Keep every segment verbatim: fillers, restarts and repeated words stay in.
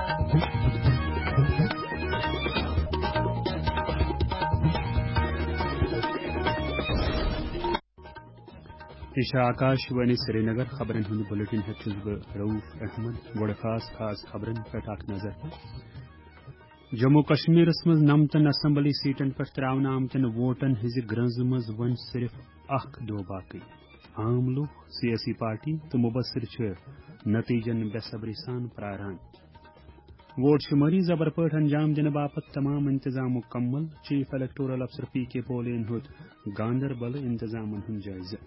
یہِ چھِ آکاش وانی سرینگر۔ خبرن ہُنٛد بلیٹن ہیٚتھ چھُس بہٕ رؤف احمد۔ گۄڈٕ خاص خاص خبرن پٮ۪ٹھ اکھ نظر۔ جموں کشمیرس منٛز نَمتَن اسمبلی سیٹن پٮ۪ٹھ تراونہٕ آمتٮ۪ن ووٹن ہٕنٛزِ گرٛنٛزِ منٛز وۄنۍ صرف اکھ دۄہ باقٕے۔ عام لوٗکھ، سیٲسی پارٹی تہٕ مبصر چھِ نتیجن بے صبری سان پراران۔ ووٹ شمٲری زبر پٲٹھۍ انجام دِنہٕ باپتھ تمام انتظام مکمل، چیف الیکٹورل افسر پی کے پولین ہیوٚت گاندربل انتظامن ہُنٛد جٲیزٕ۔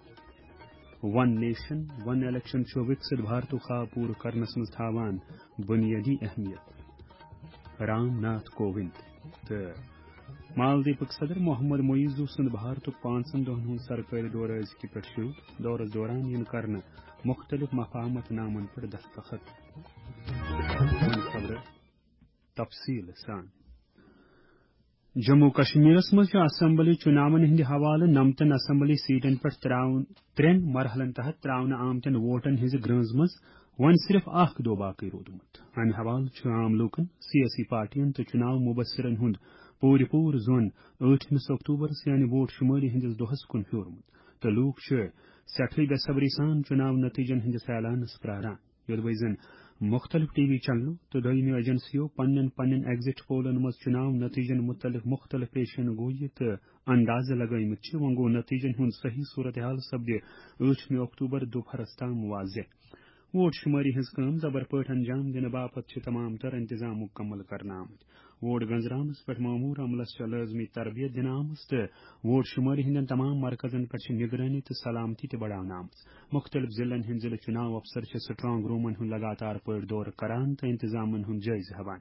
ون نیشن، ون الیکشن چھُ وکسِت بھارتُک خواب پوٗرٕ کرنس منٛز تھاوان بنیٲدی اہمیت۔ رام ناتھ کووِند تہٕ مالدیپٕکۍ صدر محمد معیزو سُنٛد بھارتُک پانٛژن دۄہن ہُنٛد سرکٲرۍ دورٕ أزکہِ پٮ۪ٹھ شروع۔ دورس دوران یِن کرنہٕ مختلف مفاہمت نامن پٮ۪ٹھ دستخط۔ وۄنۍ خبرٕ تفصیٖل سان۔ جموں کشمیرس منٛز چھُ اسمبلی چُناون ہٕنٛدِ حوالہٕ نَمتَن اسمبلی سیٹن پٮ۪ٹھ ترٛاوُن، ترٛٮ۪ن مرحلن تحت ترٛاونہٕ آمتٮ۪ن ووٹن ہٕنٛزِ گرٛنٛز منٛز وۄنۍ صرف اکھ دۄہ باقٕے روٗدمُت۔ امہِ حوالہٕ چھُ عام لوٗکن، سیٲسی پارٹین تہٕ چُناو مبصرن ہُنٛد پوٗرٕ پوٗرٕ زون ٲٹھمِس اکتوبرس یعنی ووٹ شُمٲری ہٕنٛدِس دۄہس کُن پھیوٗرمُت تہٕ لوٗکھ چھِ سٮ۪ٹھٕے بے صبری سان چُناو نتیجن ہٕنٛدِس اعلانس پراران۔ یوٚدوَے زَن مُختٔلِف ٹی وی چینلو تہٕ دوٚیمہِ ایجنسیو پننٮ۪ن پننٮ۪ن ایگزٹ پولن منٛز چُناو نتیجن مُتعلق مُختٔلِف پیشن گویی تہٕ اندازٕ لگٲومٕتۍ چھِ، وۄنۍ گوٚو نتیجن ہُنٛد صحیح صورتحال سپدِ ٲٹھمہِ اکتوبر دُپہرس تام واضح۔ ووٹ شُمٲری ہٕنٛز کٲم زبر پٲٹھۍ انجام دِنہٕ باپتھ چھِ تمام تر انتظام مُکمل کرنہٕ آمٕتۍ۔ ووٹ گنزراونس پٮ۪ٹھ مامور عملس چھےٚ لٲزمی تربیت دِنہٕ آمٕژ تہٕ ووٹ شُمٲری ہٕنٛدٮ۪ن تمام مرکزن پٮ۪ٹھ چھِ نگرٲنی تہٕ سلامتی تہِ بڑاونہٕ آمٕژ۔ مُختٔلِف ضلعن ہٕنٛدۍ ضلعہٕ چُناو افسر چھِ سٹرانگ رومن ہُنٛد لگاتار پٲٹھۍ دورٕ کران تہٕ انتظامن ہُنٛد جٲیزٕ ہٮ۪وان۔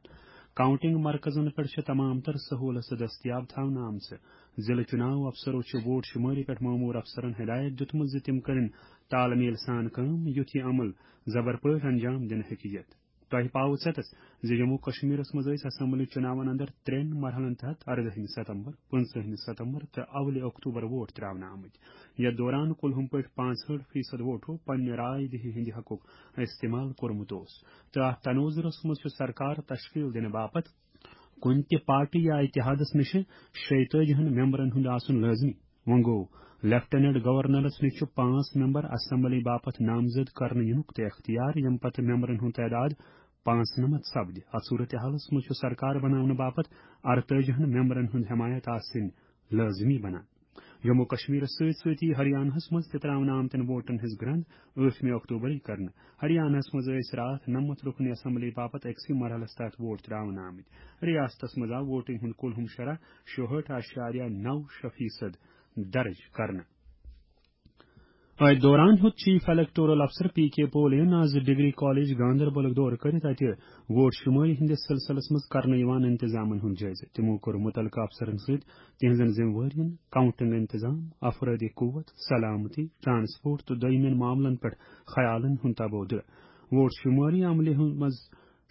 کاؤنٹنگ مرکزن پٮ۪ٹھ چھِ تمام تر سہوٗلژٕ دٔستیاب تھاونہٕ آمژٕ۔ ضلعہٕ چُناو افسرو چھِ ووٹ شُمٲری پٮ۪ٹھ مامور افسرن ہدایت دِیُتمُت زِ تِم کٔرِن تالمیل سان کٲم، یُتھ یہِ عمل زبر پٲٹھۍ انجام دِنہٕ ہیٚکہِ یِتھ۔ تۄہہِ پاوٕ ژٮ۪تس زِ جموں کشمیرس منٛز ٲسۍ اسمبلی چُناون اندر ترٛٮ۪ن مرحلن تحت اردٲہمہِ ستمبر، پٕنٛژٕہمہِ ستمبر تہٕ اولہِ اکتوبر ووٹ ترٛاونہٕ آمٕتۍ۔ یتھ دوران کُلہُم پٲٹھۍ پانٛژہٲٹھ فیصد ووٹو پننہِ راے دِہی ہٕنٛدِ حقُک استعمال کوٚرمُت اوس۔ تہٕ اتھ تناظرس منٛز چھُ سرکار تشکیل دِنہٕ باپتھ کُنہِ تہِ پارٹی یا اتحادس نِش شیٚیہِ تٲجی ہن ممبرن ہُنٛد آسُن لٲزمی۔ وۄنۍ گوٚو، لیفٹیننٹ گورنرس نِش چھُ پانٛژھ ممبر اسمبلی باپتھ نامزد کرنہٕ یِنُک تہِ اختیار، ییٚمہِ پتہٕ ممبرن ہُنٛد تعداد پانٛژنمتھ سپدِ۔ اتھ صورتحالس منٛز چھُ سرکار بناونہٕ باپتھ ارتٲجی ہن ممبرن ہُنٛد حمایت آسٕنۍ لٲزمی بنان۔ جموں کشمیرس سۭتۍ سۭتی ہریانہس منٛز تہِ ترٛاونہٕ آمتٮ۪ن ووٹن ہٕنٛز گرٛنٛد ٲٹھمہِ اکتوبرٕے کرنہٕ۔ ہریانہس منٛز ٲسۍ راتھ نَمَتھ رُکنی اسمبلی باپتھ أکسٕے مرحلس تحت ووٹ ترٛاونہٕ آمٕتۍ۔ ریاستس منٛز آو ووٹنگ ہُنٛد کُل ہُم شرح شُہٲٹھ اعشاریہ نَو شےٚ فیصد درج کرنہٕ۔ أتھۍ دوران ہیوٚت چیف الیکٹورل افسر پی کے پولین آز ڈگری کالج گاندربلُک دورٕ کٔرِتھ اتہِ ووٹ شُمٲری ہٕنٛدِس سلسلس منٛز کرنہٕ یِوان انتظامن ہُنٛد جٲیزٕ۔ تِمو کوٚر مُتعلقہٕ افسرن سۭتۍ تِہنٛزن ذمہٕ وٲرین، کاؤنٹنگ انتظام، افرٲدی قوت، سلامتی، ٹرانسپورٹ تہٕ دوٚیمٮ۪ن معاملن پٮ۪ٹھ خیالن ہُنٛد تبادلہٕ۔ ووٹ شُمٲری عملہِ ہُنٛد منٛز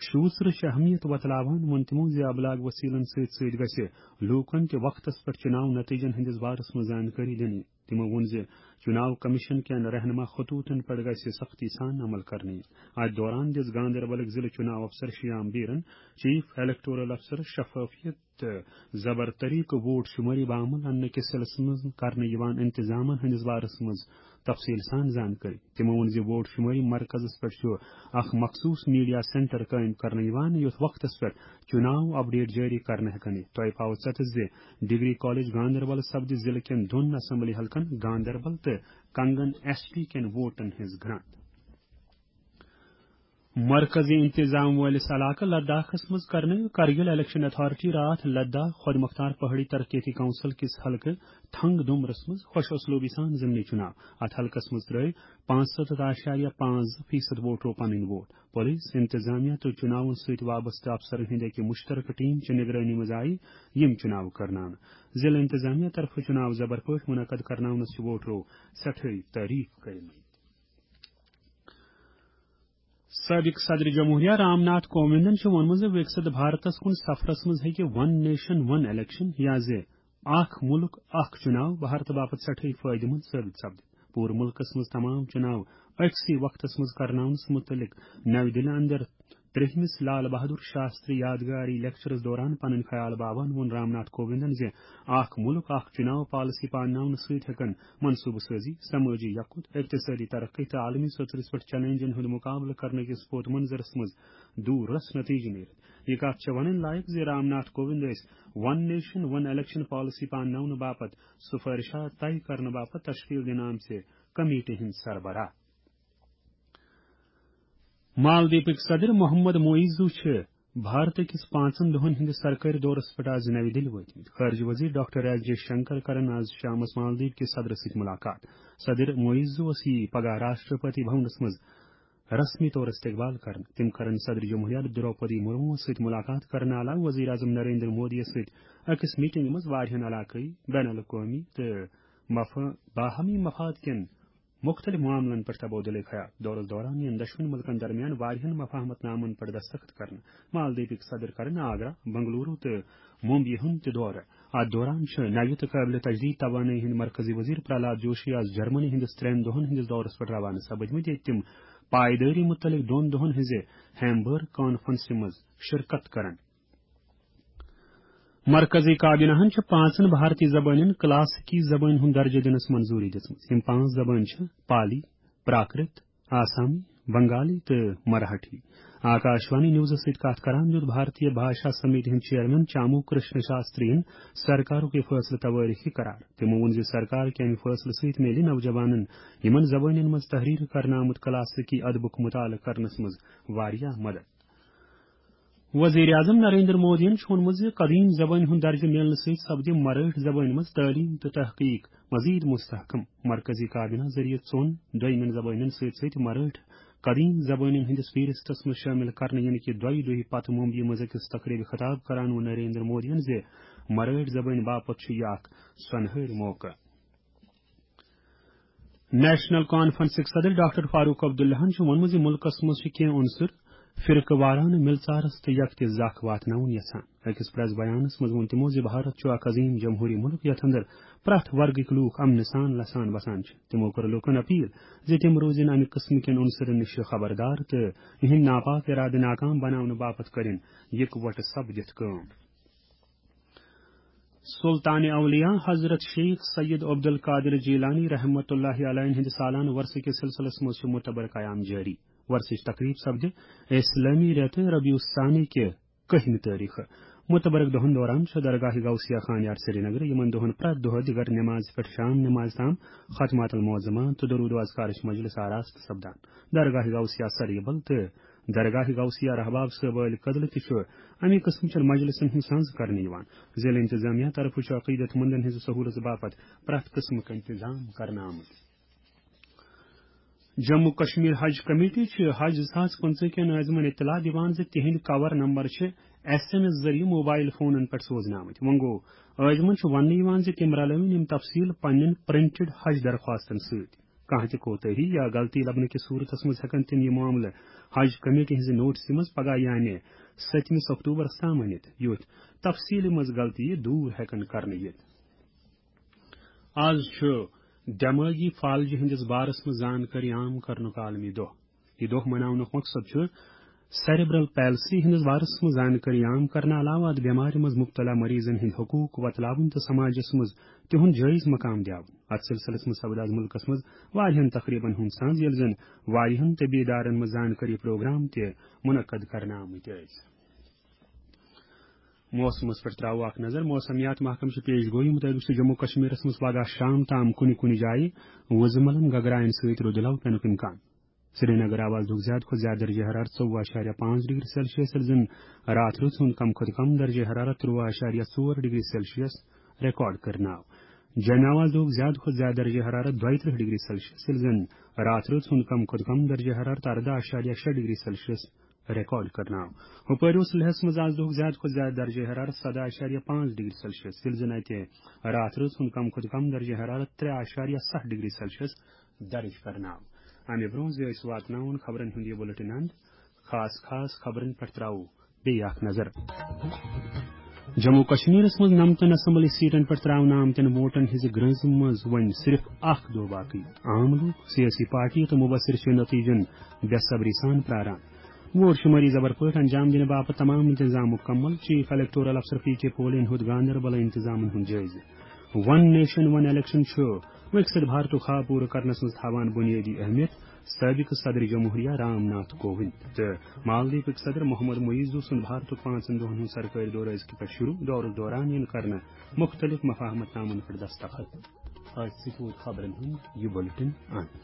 شوٗژرٕچ اہمیت وۄتلاوان ووٚن تِمو زِ ابلاغ وسیلن سۭتۍ سۭتۍ گژھِ لوٗکن تہِ وقتس پٮ۪ٹھ چُناو نتیجن ہٕنٛدِس بارس منٛز زانکٲری دِنہٕ یِنۍ۔ تِمو ووٚن زِ چُناو کمیشن کٮ۪ن رہنما خطوطن پٮ۪ٹھ گژھِ سختی سان عمل کرنہٕ یِنۍ۔ اتھ دوران دِژ گاندربلٕکۍ ضلعہٕ چُناو افسر شیام بیرن، چیف الیکٹورل افسر شفافیت تہٕ زبر طریقہٕ ووٹ شُمٲری بامل اننہٕ کِس سلسلس منٛز کرنہٕ یِوان انتظامن ہٕنٛدِس بارس منٛز تفصیل سان زانکٲری۔ تِمو ووٚن زِ ووٹ شُمٲری مرکزس پٮ۪ٹھ چھُ اکھ مخصوٗص میڈیا سینٹر قٲیِم کرنہٕ یِوان، یُتھ وقتس پٮ۪ٹھ چُناو اپڈیٹ جٲری کرنہٕ ہٮ۪کن یِتھ۔ تۄہہِ پاوٕ ژٮ۪تس زِ ڈگری کالج گاندربل سپدِ ضلعہٕ کٮ۪ن دۄن اسمبلی حلقن گاندربل تہٕ کنگن ایس ٹی کٮ۪ن ووٹن ہٕنٛز گرٛنٛد۔ مرکزی انتظام وٲلِس علاقہٕ لداخس منٛز کرنٲو کرگل الیکشن اتھارٹی راتھ لداخ خۄد مختار پہاڑی ترقیتی کونسل کِس حلقہٕ تھنگ دُمرس منٛز خۄش اسلوبی سان ضمنی چُناو۔ اتھ حلقس منٛز ترٲوۍ پانٛژھ سَتَتھ اعشاریہ پانٛژھ زٕ فیصد ووٹرو پنٕنۍ ووٹ۔ پولیس، انتظامیہ تہٕ چُناون سۭتۍ وابستہٕ افسرن ہٕنٛدِ اکہِ مشترکہٕ ٹیم چہِ نگرٲنی منٛز آیہِ یِم چُناو کرناونہٕ۔ ضلع انتظامیہ طرفہٕ چُناو زبر پٲٹھۍ منعقد کرناونس چھِ ووٹرو سٮ۪ٹھاے تعریف کٔرمٕتۍ۔ سٲبِق صدر جمہوریہ رام ناتھ کووِندن چھُ ووٚنمُت زِ وِکسِت بھارتس کُن سفرس منٛز ہیٚکہِ ون نیشن ون الیکشن یا زِ اکھ مُلک اکھ چُناو بھارتہٕ باپتھ سٮ۪ٹھٕے فٲیدٕ منٛد ثٲبِت سپدِتھ۔ پوٗرٕ مُلکس منٛز تمام چُناو أکسٕے وقتس منٛز کرناونس مُتعلق نَوِ دِلہِ اندر ترٛیٚہمِس لال بہادُر شاستری یادگاری لیکچرس دوران پنٕنۍ خیال باوان ووٚن رام ناتھ کووِندن زِ اکھ مُلک، اکھ چُناو پالیسی پانناونہٕ سۭتۍ ہٮ۪کن منصوٗبہٕ سٲزی، سمٲجی یکُت، اقتصٲدی ترقی تہٕ عالمی سطحس پٮ۪ٹھ چیلنجن ہُنٛد مُقابلہٕ کرنہٕ کِس پوت منظرس منٛز دوٗر رس نتیجہٕ نیرِتھ۔ یہِ کتھ چھےٚ ونٕنۍ لایق زِ رام ناتھ کووِند ٲسۍ ون نیشن ون الیکشن پالیسی پانناونہٕ باپتھ سفارشات طے کرنہٕ باپتھ تشکیل دِنہٕ آمژِ کمیٹی ہٕنٛدۍ سربراہ۔ مالدیپٕکۍ صدر محمد معیزو چھِ بھارت کِس پانٛژن دۄہن ہٕنٛدِس سرکٲرۍ دورس پٮ۪ٹھ آز نَوِ دِلہِ وٲتمٕتۍ۔ خارجہ وزیر ڈاکٹر ایس جے شنکر کرن آز شامس مالدیپ کِس صدرس سۭتۍ مُلاقات۔ صدر معیزوس یی پگاہ راشٹرپتی بھونس منٛز رسمی طور استقبال کرنہٕ۔ تِم کرن صدر جمہوریہ دروپدی مرموس سۭتۍ مُلاقات کرنہٕ علاوٕ وزیر اعظم نریندر مودیَس سۭتۍ أکِس میٹنگہِ منٛز واریاہن علاقٲیی، بین الاقوٲمی تہٕ مف-، باہمی مفاد کٮ۪ن مُختٔلِف معاملن پٮ۪ٹھ تبادلہٕ خیال۔ دورس دوران یِن دۄشوٕنی مُلکن درمیان واریاہن مفاہمت نامن پٮ۪ٹھ دستخط کرنہٕ۔ مالدیپٕکۍ صدر کرن آگرہ، بنگلورو تہٕ ممبئی ہُنٛد تہِ دورٕ۔ اتھ دوران چھِ نوِ تہٕ قٲبلِ تجدید توانٲیی ہٕنٛدۍ مرکزی وزیر پرہلاد جوشی آز جرمنی ہٕنٛدِس ترٛٮ۪ن دۄہن ہٕنٛدِس دورس پٮ۪ٹھ روانہٕ سپدمٕتۍ، ییٚتہِ تِم پایدٲری مُتعلق دۄن دۄہن ہٕنٛزِ ہیمبرگ کانفرنسہِ منٛز شرکت کرن۔ مرکزی کابینہ ہن چھِ پانٛژن بھارتی زبانن کلاسیکی زبٲنۍ ہُنٛد درجہٕ دِنس منظوٗری دِژمٕژ۔ یِم پانٛژھ زبٲنۍ چھِ پالی، پراکرت، آسامی، بنگالی تہٕ مراٹھی۔ آکاشوانی نیوزس سۭتۍ کتھ کران دیُت بھارتیہ بھاشا سمیتی ہٕنٛدۍ چیئرمین چامو کرشن شاستری ین سرکارُک یہِ فٲصلہٕ توٲریخی قرار۔ تِمو ووٚن زِ سرکار کہِ امہِ فٲصلہٕ سۭتۍ میلہِ نوجوانن یِمن زبٲنٮ۪ن منٛز تحریر کرنہٕ آمُت کلاسیکی ادبُک مطالعہٕ کرنس منٛز واریاہ مدد۔ وزیر اعظم نریندر مودیَن چھُ ووٚنمُت زِ قدیم زبٲنۍ ہُنٛد درجہٕ میلنہٕ سۭتۍ سپدِ مرٲٹھۍ زبٲنۍ منٛز تعلیٖم تہٕ تحقیق مزید مستحکم۔ مرکزی کابینہ ذٔریعہٕ ژۄن دوٚیمٮ۪ن زبٲنٮ۪ن سۭتۍ سۭتۍ مرٲٹھۍ قدیم زبٲنٮ۪ن ہٕنٛدِس فہرستس منٛز شٲمِل کرنہٕ یِنہٕ کہِ دۄیہِ دۄہہِ پتہٕ ممبیہِ منٛز أکِس تقریبہِ خطاب کران ووٚن نریندر مودیَن زِ مرٲٹھۍ زبٲنۍ باپتھ چھُ یہِ اکھ سۄنہٕرۍ موقعہٕ۔ نیشنل کانفرنسٕکۍ صدر ڈاکٹر فاروق عبداللہَن چھُ ووٚنمُت زِ مُلکَس منٛز چھِ کینٛہہ عنصر فرقہٕ وارانہٕ مِلژارَس تہٕ یکتہِ زکھ واتناوُن یژھان۔ أکِس پریس بیانَس منٛز ووٚن تِمو زِ بھارت چھُ اکھ عظیٖم جمہوٗری مُلک یَتھ اندر پرٛٮ۪تھ ورگٕکۍ لوٗکھ امنہٕ سان لسان بسان چھِ۔ تِمو کٔر لوٗکَن اپیل زِ تِم روزن امہِ قٕسمٕکٮ۪ن عنصرَن نِش خبردار تہٕ یِہنٛدۍ ناپاک اِرادٕ ناکام بناونہٕ باپتھ کٔرِن یِکوَٹہٕ سپدِتھ کٲم۔ سلطان اولیاء حضرت شیخ سید عبد القادر جیلانی رحمۃ اللہ علیہ ہٕنٛدِ سالانہٕ ورثہٕ کِس سلسلس منٛز چھُ مُتبر قیام جٲری۔ ورثٕچ تقریب سپدِ اسلٲمی رٮ۪تہٕ ربیع الثانی کہِ کٔہمہِ تٲریخہٕ۔ مُتبرک دۄہن دوران چھُ درگاہ غوثیہ خانیار سرینگر یِمن دۄہن پرٛٮ۪تھ دۄہ دِگر نماز پٮ۪ٹھ شام نماز تام ختمات المعظمہ تہٕ درود و اذکارٕچ مجلس آراستہٕ سپدان۔ درگاہ غوثیہ سریبل تہٕ درگاہ غوثیہ رحباب صٲبٲلۍ کدلہٕ تہِ چھُ اَمہِ قٕسمٕچن مجلسن ہُنٛد سنز کرنہٕ یِوان۔ ضلع انتظامیہ طرفہٕ چھُ عقیدت مندن ہٕنٛزِ سہوٗلژ باپتھ پرٛٮ۪تھ قٕسمٕکۍ انتظام کرنہٕ آمٕتۍ۔ جموں کشمیر حج کمیٹی چھِ حج زٕ ساس پٕنٛژٕہ کٮ۪ن عٲزمن اطلاع دِوان زِ تِہنٛدۍ کور نمبر چھِ ایس ایم ایس ذٔریعہٕ موبائل فونن پٮ۪ٹھ سوزنہٕ آمٕتۍ۔ وۄنۍ گوٚو، عٲزمن چھُ وننہٕ یِوان زِ تِم رلٲوِن یِم تفصیل پننٮ۪ن پرنٹڈ حج درخواستن سۭتۍ۔ کانٛہہ تہِ کوتٲہی یا غلطی لبنہٕ کِس صورتس منٛز ہٮ۪کن تِم یہِ معاملہٕ حج کمیٹی ہٕنٛزِ نوٹسہِ منٛز پگاہ یعنی ستمِس اکتوبرس تام أنِتھ، یُتھ تفصیٖلہِ منٛز غلطی دوٗر ہٮ۪کن کرنہٕ یِتھ۔ آز چھُ دٮ۪مٲغی فالجہِ ہٕنٛدِس بارس منٛز زانکٲری عام کرنُک عالمی دۄہ۔ یہِ دۄہ مناونُک مقصد چھُ سیریبرل پیلسی ہٕنٛدِس بارس منٛز زانکٲری عام کرنہٕ علاوٕ اتھ بٮ۪مارِ منٛز مُبتلا مریضن ہٕنٛدۍ حقوٗق وۄتلاوٕنۍ تہٕ سماجس منٛز تِہُنٛد جٲیز مقام دیاوُن۔ اتھ سلسلس منٛز سپد آز مُلکس منٛز واریاہن تقریبن ہُنٛد سنز، ییٚلہِ زن واریاہن طبی ادارن منٛز زانکٲری پروگرام تہِ منعقد کرنہٕ آمٕتۍ ٲسۍ۔ موسمس پٮ۪ٹھ تراوو اکھ نظر۔ موسمیات محکمہٕ چھِ پیش گویی مُطٲبِق چھُ جموں کشمیرس منٛز پگاہ شام تام کُنہِ کُنہِ جایہِ وُزملن گگراین سۭتۍ رُدٕلو پینُک امکان۔ سرینگر آو آز دۄہُک زیادٕ کھۄتہٕ زیادٕ درجہ حرارت ژوٚوُہ اعشاریہ پانٛژھ ڈگری سیلسیس، ییٚلہِ زن راتھ رٲژ ہُنٛد کم کھۄتہٕ کم درجہ حرارت ترٛوٚوُہ اعشاریہ ژور ڈگری سیلسیس ریکارڈ کرنہٕ آو۔ جوٚمہِ آو آز دۄہُک زیادٕ کھۄتہٕ زیادٕ درجہ حرارت دۄیہِ ترٕٛہ ڈگری سیلسیس، ییٚلہِ زن راتھ رٲژ ہُنٛد کم کھۄتہٕ کم درجہ حرارت ارداہ اعشاریہ شےٚ ڈگری سیلسیس ریکارڈ کرنہٕ آو۔ ہُپٲرۍ اوس لیہس منٛز آز دۄہُک زیادٕ کھۄتہٕ زیادٕ درجہ حرارت سداہ اعشاریہ پانٛژھ ڈگری سیلسیس، ییٚلہِ زن اتہِ راتھ رٲژ ہُنٛد کم کھۄتہٕ کم درجہ حرارت ترٛےٚ اعشاریہ ستھ ڈگری سیلسیس درج کرنہٕ آو۔ امہِ برونٛہہ زِ أسۍ واتناوون خبرن ہُنٛد یہِ بُلٹن اند، خاص خاص خبرن پٮ۪ٹھ تراوو بیٚیہِ اکھ نظر۔ جموں کشمیرس منٛز نمتن اسمبلی سیٹن پٮ۪ٹھ تراونہٕ آمتٮ۪ن ووٹن ہٕنٛزِ گرٛنٛزِ منٛز وۄنۍ صرف اکھ دۄہ باقٕے۔ عام لوٗکھ، سیٲسی پارٹی تہٕ مبصر چھِ نتیجن بے صبری سان پراران۔ ووٹ شمٲری زبر پٲٹھۍ انجام دِنہٕ باپتھ تمام انتظام مکمل، چیف الیکٹورل افسر پی کے پولین ہُنٛد گاندربل انتظامن ہُنٛد جٲیزٕ۔ ون نیشن ون الیکشن چھُ وِکسِت بھارتُک خواب پوٗرٕ کرنس منٛز تھاوان بُنیٲدی اہمیت، سٲبقہٕ صدر جمہوریہ رام ناتھ کووِند تہٕ مالدیپٕکۍ صدر محمد معیزو سُنٛد بھارتُک پانٛژن دۄہن ہُنٛد سرکٲرۍ دورٕ أزکہِ پٮ۪ٹھ شروع۔ دورس دوران یِن کرنہٕ مُختٔلِف مفاہمت نامن پٮ۪ٹھ دستخط۔ آز سۭتۍ ووت خبرن ہُنٛد یہِ بُلٹن انت۔